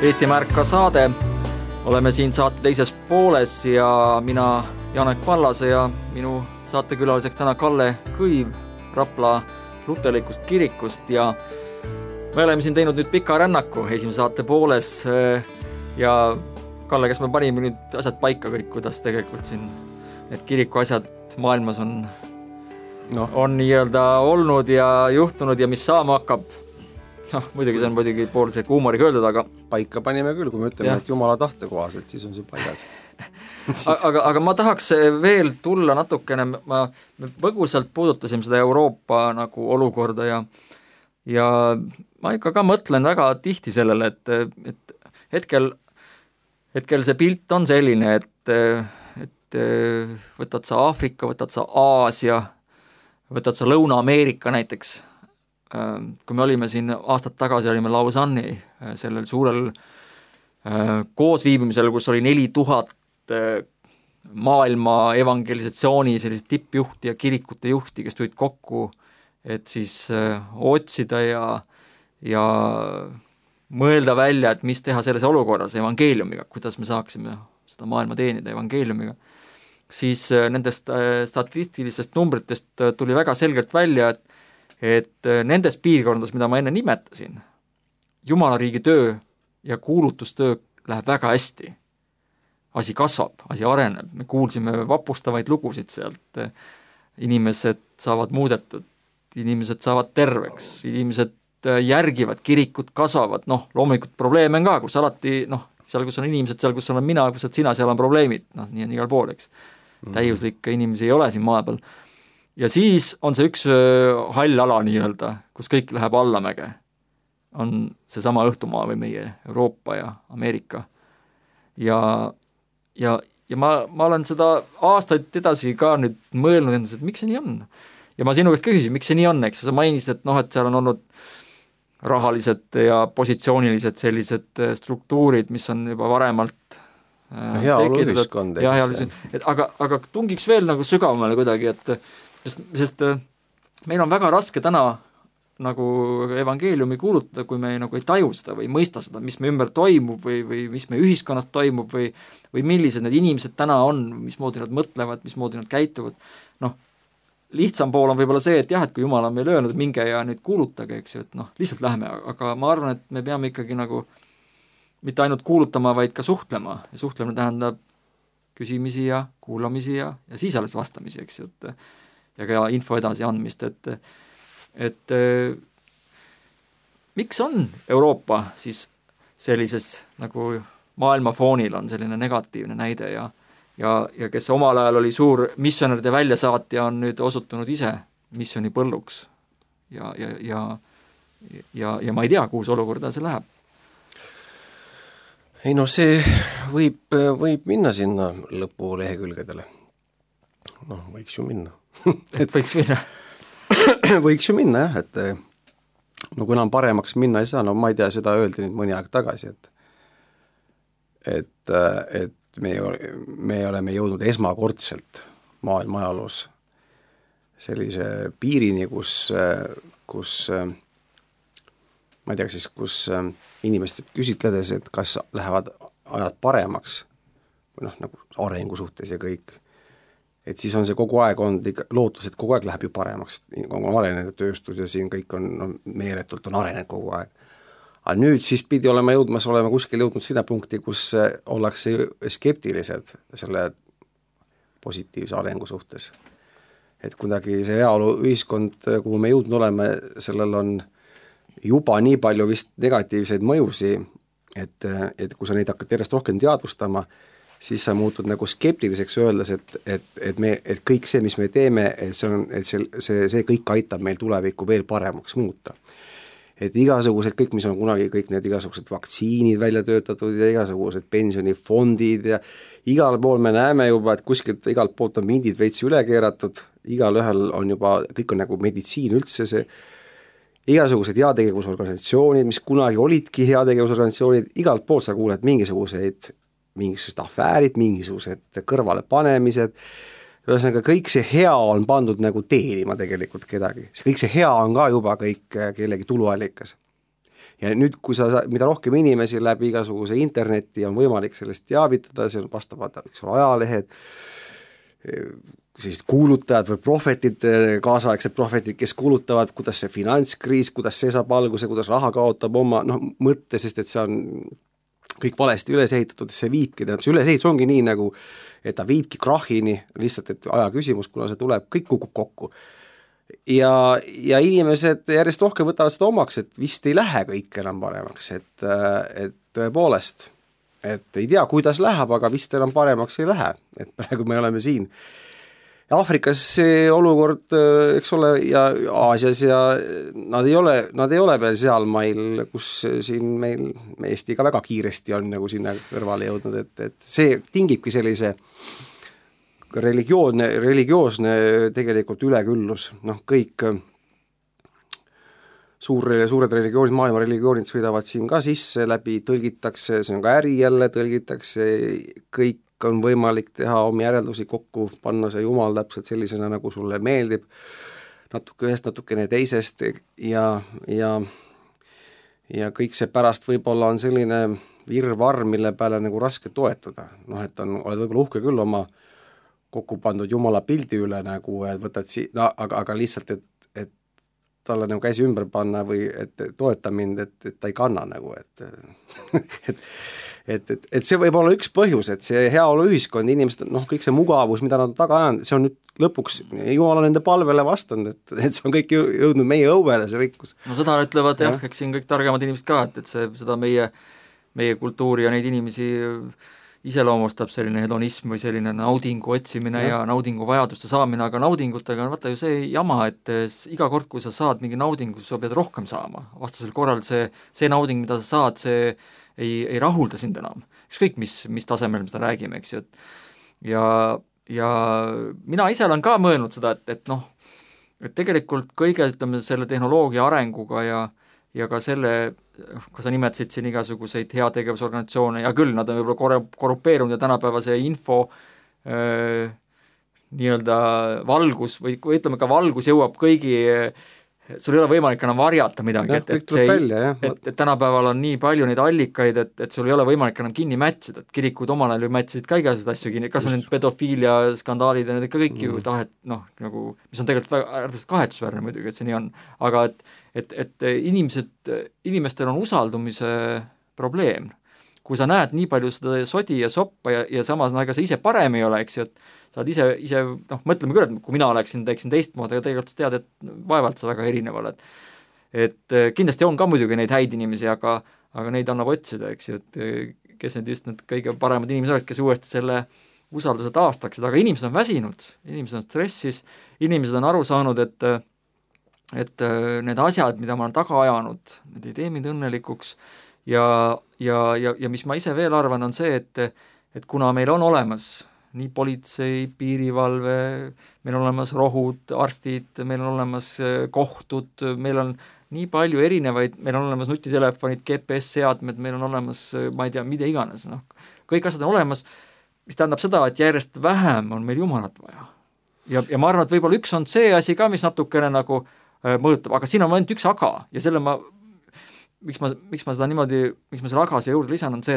Eestimaa ärka saade. Oleme siin saate teises pooles ja mina Janek Pallase ja minu saatekülaliseks täna Kalle Kõiv Rapla luterlikust kirikust ja me oleme siin teinud nüüd pika rännaku esimese saate pooles ja Kalle, kas me panime nüüd asjad paika kõik, kuidas tegelikult siin need kiriku asjad maailmas on nii-öelda olnud ja juhtunud ja mis saama hakkab? Muidugi see on muidugi poolse huumoriga öeldud, aga paika panime küll, kui me ütleme, et Jumala tahte kohaselt, siis on see paigas. aga ma tahaks veel tulla natukene, me põgusalt puudutasime seda Euroopa nagu olukorda ja ma ikka ka mõtlen väga tihti sellele, et hetkel see pilt on selline, et võtad sa Aafrika, võtad sa Aasia, võtad sa Lõuna-Ameerika näiteks. Kui me olime siin aastad tagasi, olime Lausanne'i sellel suurel koosviibimisel, kus oli 4000 maailma evangelisatsiooni sellised tippjuhti ja kirikute juhti, kes tulid kokku, et siis otsida ja mõelda välja, et mis teha selles olukorras evangeeliumiga, kuidas me saaksime seda maailma teenida evangeeliumiga. Siis nendest statistilistest numbritest tuli väga selgelt välja, et nendes piirkondades, mida ma enne nimetasin, Jumalariigi töö ja kuulutustöö läheb väga hästi. Asi kasvab, asi areneb, me kuulsime vapustavaid lugusid sealt, inimesed saavad muudetud inimesed saavad terveks, inimesed järgivad, kirikud kasvavad, noh, loomulikult probleeme on ka, kus alati, noh, seal, kus on inimesed, seal, kus olen mina, kus oled sina, seal on probleemid, noh, nii on igal pool, eks. Täiuslikke inimesi ei ole siin maa peal. Ja siis on see üks hall ala nii-öelda, kus kõik läheb allamäge. On seesama õhtumaa või meie Euroopa ja Ameerika. Ja ma olen seda aastaid edasi ka nüüd mõelnud endas, et miks see nii on. Ja ma sinu käest küsisin, miks see nii on, eks sa mainisid, et noh, et seal on olnud rahalised ja positsioonilised sellised struktuurid, mis on juba varemalt heaoluühiskond. Aga tungiks veel nagu sügavamale kuidagi, et sest meil on väga raske täna nagu evangeeliumi kuulutada, kui me nagu ei taju seda või ei mõista seda, mis me ümber toimub või mis me ühiskonnas toimub või millised need inimesed täna on, mismoodi nad mõtlevad, mismoodi nad käituvad. Noh, lihtsam pool on võib-olla see, et jah, et kui Jumal on meil öelnud, et minge ja nüüd kuulutage, eks ju, et noh, lihtsalt lähme, aga ma arvan, et me peame ikkagi nagu mitte ainult kuulutama, vaid ka suhtlema ja suhtlemine tähendab küsimisi ja kuulamisi ja siis alles vastamisi, eks ju, ja ka info edasi andmist, et miks on Euroopa siis sellises nagu maailmafoonil on selline negatiivne näide ja kes omal ajal oli suur missionäride väljasaatja, on nüüd osutunud ise missiooni põlluks ja ma ei tea, kuhu see olukord see läheb. Ei no see võib minna sinna lõpulehekülgedele. Noh, võiks ju minna. Et võiks minna? Võiks ju minna jah, et no kui enam paremaks minna ei saa, no ma ei tea, seda öeldi nüüd mõni aeg tagasi, et me oleme jõudnud esmakordselt maailma ajaloos sellise piirini, kus ma ei tea, siis kus inimesed küsitledes, et kas lähevad ajad paremaks või noh, nagu arengu suhtes ja kõik, et siis on see kogu aeg olnud lootus, et kogu aeg läheb ju paremaks, on arenenud tööstus ja siin kõik on, no, meeletult on arenenud kogu aeg. Aga nüüd siis pidi olema kuskil jõudnud sinna punkti, kus ollakse skeptilised selle positiivse arengu suhtes. Et kuidagi see heaolu ühiskond, kuhu me jõudnud oleme, sellel on juba nii palju vist negatiivseid mõjusi, et kui sa neid hakkad järjest rohkem teadvustama, siis sa muutud nagu skeptiliseks öeldes, et kõik see, mis me teeme, et see kõik aitab meil tulevikku veel paremaks muuta. Et igasugused kõik, mis on kunagi kõik need igasugused vaktsiinid välja töötatud ja igasugused pensionifondid ja igal pool me näeme juba, et kuskilt igalt poolt on mindid veits üle keeratud, igal ühel on juba, kõik on nagu meditsiin üldse see, igasugused heategevusorganisatsioonid, mis kunagi olidki heategevusorganisatsioonid, igalt poolt sa kuuled mingisugused afäärid, mingisugused kõrvalepanemised, ühesõnaga kõik see hea on pandud nagu teenima tegelikult kedagi. Kõik see hea on ka juba kõik kellegi tuluallikas. Ja nüüd, kui mida rohkem inimesi läbi igasuguse interneti on võimalik sellest teavitada, see on vastavad ajalehed, sellised kuulutajad või prohvetid, kaasaegsed prohvetid, kes kuulutavad, kuidas see finantskriis, kuidas see saab alguse, kuidas raha kaotab oma mõtte, sest et see on kõik valesti üles ehitatud, see viibki, see ülesehitus ongi nii nagu, et ta viibki krahhini, lihtsalt et aja küsimus, kuna see tuleb, kõik kukub kokku. Ja inimesed järjest rohkem võtavad seda omaks, et vist ei lähe kõik enam paremaks, et tõepoolest, et ei tea, kuidas läheb, aga vist enam paremaks ei lähe, et praegu me oleme siin. Aafrikas see olukord, eks ole, ja Aasias ja nad ei ole veel seal mail, kus siin meil Eesti ka väga kiiresti on nagu sinna kõrvale jõudnud, et see tingibki sellise religioosne tegelikult üleküllus, noh kõik suured religioonid, maailma religioonid sõidavad siin ka sisse, läbi tõlgitakse, see on ka äri jälle, tõlgitakse kõik on võimalik teha omi järeldusi kokku, panna see Jumal täpselt sellisena, nagu sulle meeldib, natuke ühest, natukene teisest ja kõik see pärast võib-olla on selline virvarr, mille peale nagu raske toetuda. Noh, et oled võib-olla uhke küll oma kokku pandud Jumala pildi üle nagu, et võtad aga lihtsalt, et talle nagu käsi ümber panna või et toeta mind, et ta ei kanna nagu, et see võib olla üks põhjus, et see heaolu ühiskond, inimesed, noh, kõik see mugavus, mida nad taga ajanud, see on nüüd lõpuks Jumal on nende palvele vastanud, et see on kõik jõudnud meie õuele, see rikkus. No seda ütlevad jah, eks siin kõik targemad inimesed ka, et seda meie kultuuri ja neid inimesi iseloomustab selline hedonism või selline naudingu otsimine ja naudingu vajaduste saamine, aga naudingutega on vaata ju see jama, et iga kord, kui sa saad mingi naudingu, sa pead rohkem saama. Vastasel korral see nauding, mida sa saad, see ei rahulda sind enam. Ükskõik, mis tasemel me seda räägime, eks ju. Ja mina ise olen ka mõelnud seda, et tegelikult kõige, ütleme, selle tehnoloogia arenguga ja ka selle, kui sa nimetasid siin igasuguseid heategevusorganisatsioone, ja küll, nad on võib-olla korrupeerunud ja tänapäeva see info nii-öelda valgus või ütleme ka valgus jõuab kõigi, sul ei ole võimalik enam varjata midagi, et tänapäeval on nii palju neid allikaid, et sul ei ole võimalik enam kinni mätsida, et kirikud omal ajal ju mätsisid ka igasuguseid asju kinni, kas on need pedofiilia skandaalid ja need ikka kõik ju tahet, nagu, mis on tegelikult väga äärmiselt kahetsusväärne muidugi, et see nii on, aga et inimestel on usaldumise probleem. Kui sa näed nii palju seda sodi ja soppa ja samas ega sa ise parem ei ole, eks ju, et sa oled ise mõtleme küll, et kui mina teeksin teistmoodi, aga tegelikult sa tead, et vaevalt sa väga erineval, et kindlasti on ka muidugi neid häid inimesi, aga neid annab otsida, eks ju, et kes need just need kõige paremad inimesed oleks, kes uuesti selle usalduse taastaksid, aga inimesed on väsinud, inimesed on stressis, inimesed on aru saanud, et need asjad, mida ma olen taga ajanud, need ei tee mind õnnelikuks ja mis ma ise veel arvan, on see, et kuna meil on olemas nii politsei, piirivalve, meil on olemas rohud, arstid, meil on olemas kohtud, meil on nii palju erinevaid, meil on olemas nutitelefonid, GPS-seadmed, meil on olemas, ma ei tea, mida iganes, kõik asjad on olemas, mis tähendab seda, et järjest vähem on meil Jumalat vaja. Ja ma arvan, et võib-olla üks on see asi ka, mis natukene nagu mõjutab, aga siin on ainult üks aga ja selle miks ma seda niimoodi, miks ma selle aga siia juurde lisan, on see,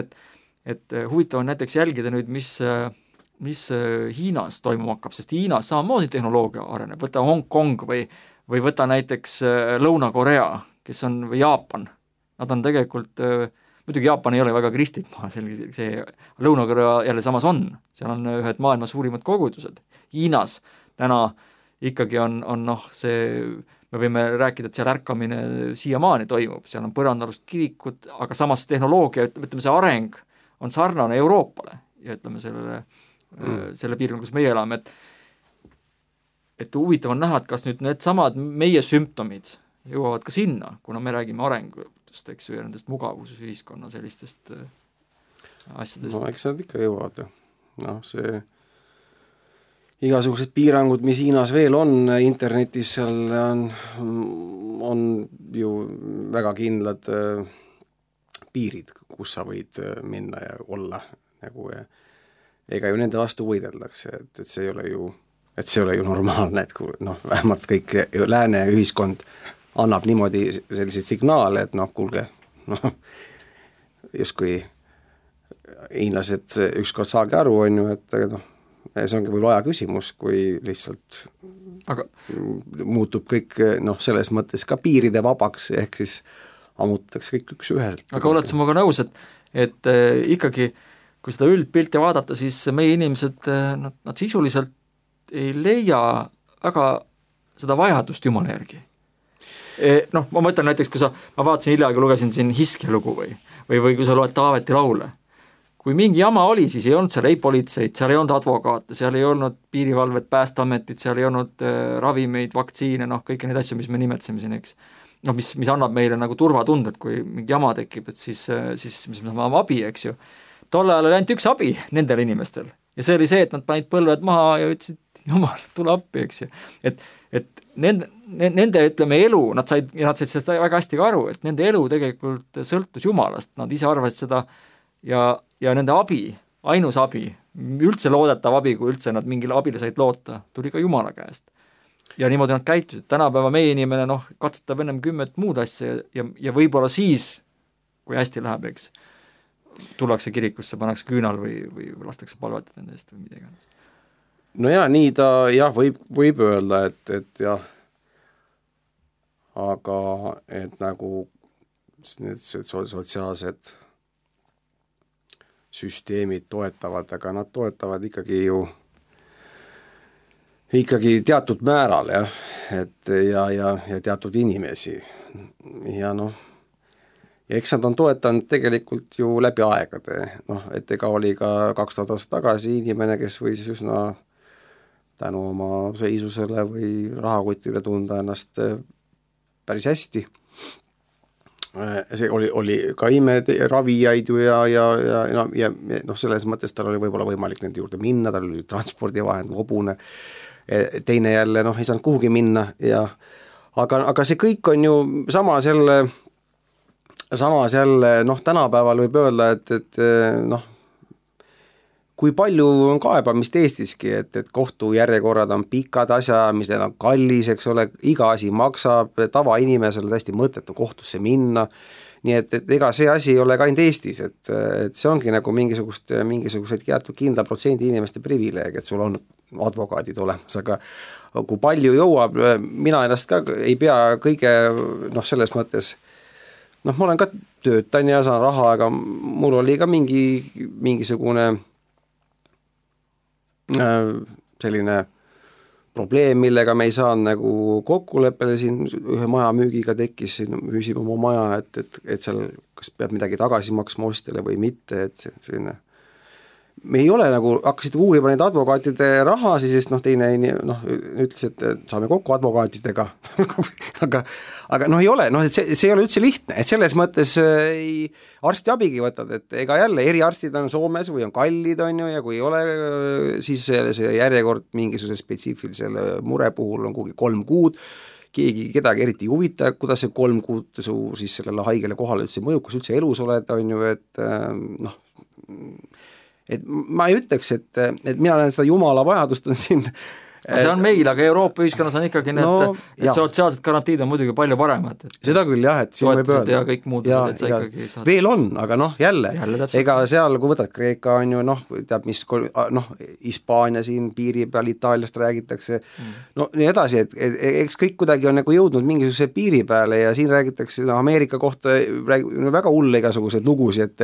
et huvitav on näiteks jälgida nüüd, mis Hiinas toimuma hakkab, sest Hiinas samamoodi tehnoloogia areneb, võta Hong Kong või võta näiteks Lõuna-Korea, kes on, või Jaapan, nad on tegelikult, muidugi Jaapan ei ole väga kristlik maa, see Lõuna-Korea jälle samas on, seal on ühed maailma suurimad kogudused. Hiinas täna ikkagi on see, me võime rääkida, et seal ärkamine siiamaani toimub, seal on põrandalust kirikud, aga samas tehnoloogia, ütleme see areng on sarnane Euroopale ja ütleme selle piirkonna, kus meie elame, et huvitav on näha, et kas nüüd need samad meie sümptomid jõuavad ka sinna, kuna me räägime arengutest, eks ju, ja nendest mugavusühiskonna sellistest asjadest. No eks nad ikka jõuavad ju. See igasugused piirangud, mis Hiinas veel on internetis, seal on ju väga kindlad piirid, kus sa võid minna ja olla nagu ega ju nende vastu võideldakse, et see ei ole ju normaalne, et vähemalt kõik lääne ühiskond annab niimoodi selliseid signaale, et kuulge, justkui hiinlased ükskord saagi aru, on ju, et see ongi võib-olla aja küsimus, kui lihtsalt muutub kõik selles mõttes ka piiride vabaks, ehk siis ammutatakse kõik üks üheselt. Aga oled sa muga nõus, et ikkagi kui seda üldpilti vaadata, siis meie inimesed, nad sisuliselt ei leia väga seda vajadust Jumala järgi. Ma mõtlen näiteks, kui ma vaatasin hiljaaegu, lugesin siin Hiskja lugu või kui sa loed Taaveti laule. Kui mingi jama oli, siis ei olnud seal ei politseid, seal ei olnud advokaate, seal ei olnud piirivalvet, päästeametit, seal ei olnud ravimeid, vaktsiine, kõiki neid asju, mis me nimetasime siin, eks. Mis annab meile nagu turvatundet, kui mingi jama tekib, et siis mis me saame abi, eks ju. Tolle ajal oli ainult üks abi nendel inimestel ja see oli see, et nad panid põlved maha ja ütlesid, Jumal, tule appi, eks ju. Et nende ütleme elu, nad said sellest väga hästi ka aru, et nende elu tegelikult sõltus Jumalast, nad ise arvasid seda ja nende abi, ainus abi, üldse loodetav abi, kui üldse nad mingile abile said loota, tuli ka Jumala käest. Ja niimoodi nad käitusid. Tänapäeva meie inimene katsetab ennem 10 muud asja ja võib-olla siis, kui hästi läheb, eks, tullakse kirikusse, pannakse küünal või lastakse palvetada nende eest või midagi. No ja nii ta võib öelda, et jah, aga et nagu need sotsiaalsed süsteemid toetavad, aga nad toetavad ikkagi ju ikkagi teatud määral jah, et ja teatud inimesi ja noh, ja eks nad on toetanud tegelikult ju läbi aegade, noh, et ega oli ka 2000 aastat tagasi inimene, kes võis üsna tänu oma seisusele või rahakotile tunda ennast päris hästi. See oli ka imeravijaid ju ja noh, selles mõttes tal oli võib-olla võimalik nende juurde minna, tal oli transpordivahend, hobune, teine jälle noh, ei saanud kuhugi minna ja aga see kõik on ju samas jälle noh, tänapäeval võib öelda, et noh, kui palju on kaebamist Eestiski, et kohtujärjekorrad on pikad asjaajamised, need on kallis, eks ole, iga asi maksab, tavainimesel täiesti mõttetu kohtusse minna, nii et ega see asi ei ole ka ainult Eestis, et see ongi nagu mingisugused jäetud kindla protsendi inimeste privileeg, et sul on advokaadid olemas, aga kui palju jõuab, mina ennast ka ei pea kõige noh, selles mõttes noh, ma olen ka töötan ja saan raha, aga mul oli ka mingisugune selline probleem, millega me ei saanud nagu kokkuleppele siin ühe maja müügiga tekkis, müüsime oma maja, et seal kas peab midagi tagasi maksma ostjale või mitte, et selline me ei ole nagu, hakkasid uurima neid advokaatide rahasi, sest noh, teine noh, ütles, et saame kokku advokaatidega aga noh, ei ole, noh, et see ei ole üldse lihtne, et selles mõttes arstiabigi võtad, et ega jälle eriarstid on Soomes või on kallid, on ju, ja kui ei ole, siis see järjekord mingisuguse spetsiifilisele mure puhul on kuhugi 3 kuud, kedagi eriti ei huvita, kuidas see 3 kuud su siis sellele haigele kohale üldse mõjub, kus üldse elus oled, on ju, et noh, et ma ei ütleks, et mina näen seda jumala vajadust on siin see on meil, aga Euroopa ühiskonnas on ikkagi need sotsiaalsed garantiid on muidugi palju paremad. Seda küll jah, et siin võib öelda. Ja kõik muudused, et sa ikkagi saad. Veel on, aga noh, jälle ega seal, kui võtad Kreeka on ju, noh, teab mis, noh, Hispaania siin piiri peal Itaaliast räägitakse, no nii edasi, et eks kõik kuidagi on nagu jõudnud mingisuguse piiri peale ja siin räägitakse Ameerika kohta väga hulle igasuguseid lugusid,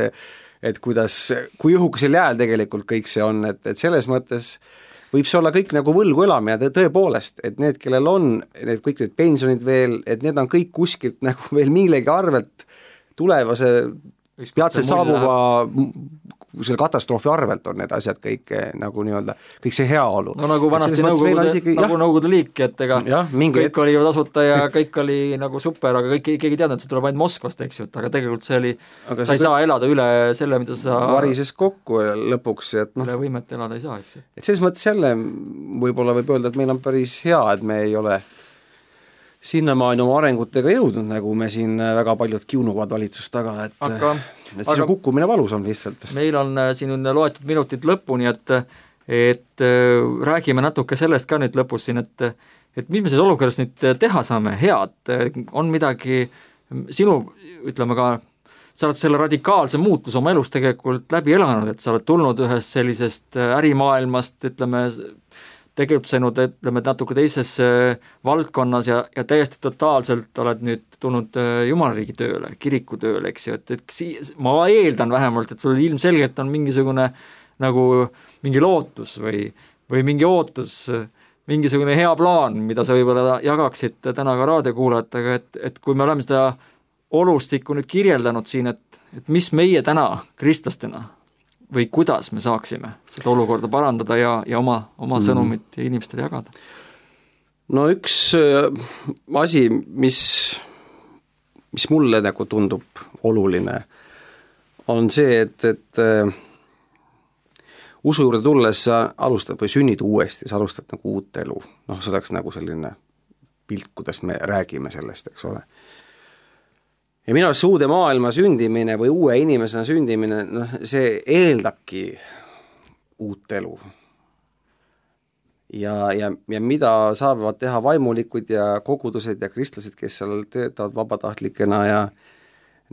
et kuidas, kui õhukesel jääl tegelikult kõik see on, et selles mõttes võib see olla kõik nagu võlgu elamine ja tõepoolest, et need, kellel on kõik need pensionid veel, et need on kõik kuskilt nagu veel millegi arvelt tulevase peatselt saabuva selle katastroofi arvelt on need asjad kõik nagu nii-öelda, kõik see heaolu. No nagu vanasti Nõukogude liik, et ega kõik oli ju tasuta ja kõik oli nagu super, aga keegi ei teadnud, et see tuleb ainult Moskvast, eks ju, aga tegelikult see oli, sa ei saa elada üle selle, mida sa varises kokku lõpuks, et noh, üle võimet elada ei saa, eks ju. Et selles mõttes jälle võib-olla võib öelda, et meil on päris hea, et me ei ole sinnamaani oma arengutega jõudnud, nagu me siin väga paljud kiunuvad valitsust taga, et siis on kukkumine valus on lihtsalt. Meil on siin loetud minutid lõpuni, et räägime natuke sellest ka nüüd lõpus siin, et mis me selles olukorras nüüd teha saame head, on midagi sinu, ütleme ka, sa oled selle radikaalse muutus oma elus tegelikult läbi elanud, et sa oled tulnud ühest sellisest ärimaailmast, ütleme, tegutsenud, ütleme, natuke teises valdkonnas ja täiesti totaalselt oled nüüd tulnud jumalariigi tööle, kiriku tööle, eks ju, et ma eeldan vähemalt, et sul ilmselgelt on mingisugune nagu mingi lootus või mingi ootus, mingisugune hea plaan, mida sa võib-olla jagaksid täna ka raadiokuulajatega, et kui me oleme seda olustikku nüüd kirjeldanud siin, et mis meie täna kristlastena või kuidas me saaksime seda olukorda parandada ja oma sõnumit inimestele jagada? No üks asi, mis mulle nagu tundub oluline, on see, et usu juurde tulles sa alustad või sünnid uuesti, sa alustad nagu uut elu. Noh, see oleks nagu selline pilt, kuidas me räägime sellest, eks ole. Ja minu arust uude maailma sündimine või uue inimesena sündimine, noh, see eeldabki uut elu. Ja mida saavad teha vaimulikud ja kogudused ja kristlased, kes seal töötavad vabatahtlikena ja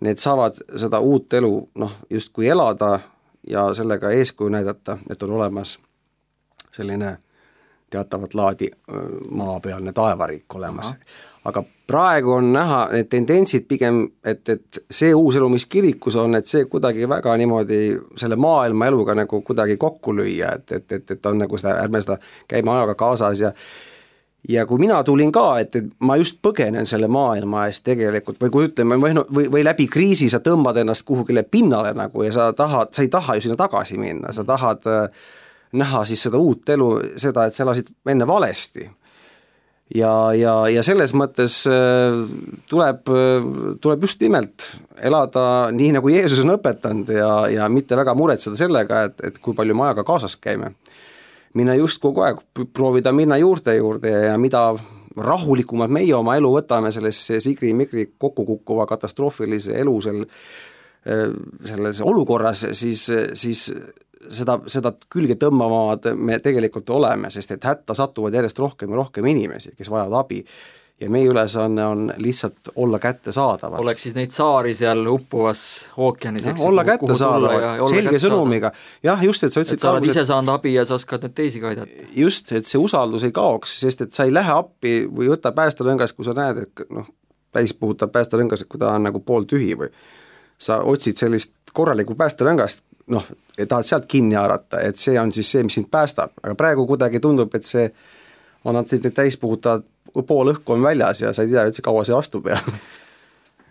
need saavad seda uut elu, noh, justkui elada ja sellega eeskuju näidata, et on olemas selline teatavat laadi maapealne taevariik olemas. Aga praegu on näha need tendentsid pigem, et see uus elu, mis kirikus on, et see kuidagi väga niimoodi selle maailma eluga nagu kuidagi kokku lüüa, et on nagu seda, ärme seda käime ajaga kaasas ja kui mina tulin ka, et ma just põgenen selle maailma eest tegelikult või kui ütleme, või läbi kriisi sa tõmbad ennast kuhugile pinnale nagu ja sa ei taha ju sinna tagasi minna, sa tahad näha siis seda uut elu, seda, et sa elasid enne valesti. Ja selles mõttes tuleb just nimelt elada nii, nagu Jeesus on õpetanud ja mitte väga muretseda sellega, et kui palju me ajaga kaasas käime. Minna just kogu aeg, proovida minna juurde ja mida rahulikumalt meie oma elu võtame sellesse sigri-migri kokkukukkuva katastroofilise elu selles olukorras, siis seda külge tõmbavad me tegelikult oleme, sest et hätta satuvad järjest rohkem ja rohkem inimesi, kes vajavad abi. Ja meie ülesanne on lihtsalt olla kättesaadaval. Oleks siis neid saari seal uppuvas ookeanis, eks? Olla kättesaadaval, selge sõnumiga. Jah, just, et sa ütlesid... Et sa oled ise saanud abi ja sa oskad nüüd teisi ka aidata. Just, et see usaldus ei kaoks, sest et sa ei lähe appi või võta päästerõngas, kui sa näed, et täis puhutab päästerõngas, kui ta on nagu pool tühi või sa otsid sellist korralikku päästerõngast, ja tahad sealt kinni haarata, et see on siis see, mis sind päästab. Aga praegu kuidagi tundub, et see on nad täis puhutavad, pool õhku on väljas ja sa ei tea üldse kaua see vastub ja.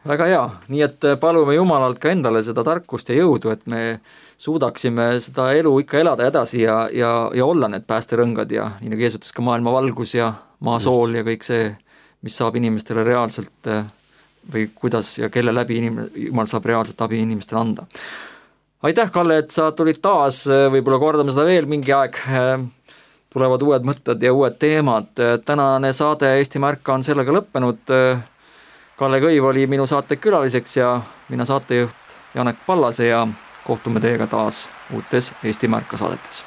Väga hea, nii et palume Jumalalt ka endale seda tarkust ja jõudu, et me suudaksime seda elu ikka elada edasi ja olla need päästerõngad ja nii nagu Jeesus ka maailma valgus ja maasool ja kõik see, mis saab inimestele reaalselt või kuidas ja kelle läbi Jumal saab reaalselt abi inimestele anda. Aitäh, Kalle, et sa tulid taas, võib-olla kordame seda veel mingi aeg, tulevad uued mõtted ja uued teemad. Tänane saade Eestimaa Ärka on sellega lõppenud. Kalle Kõiv oli minu saate külaliseks ja mina saatejuht Janek Pallase ja kohtume teiega taas uutes Eestimaa Ärka saadetes.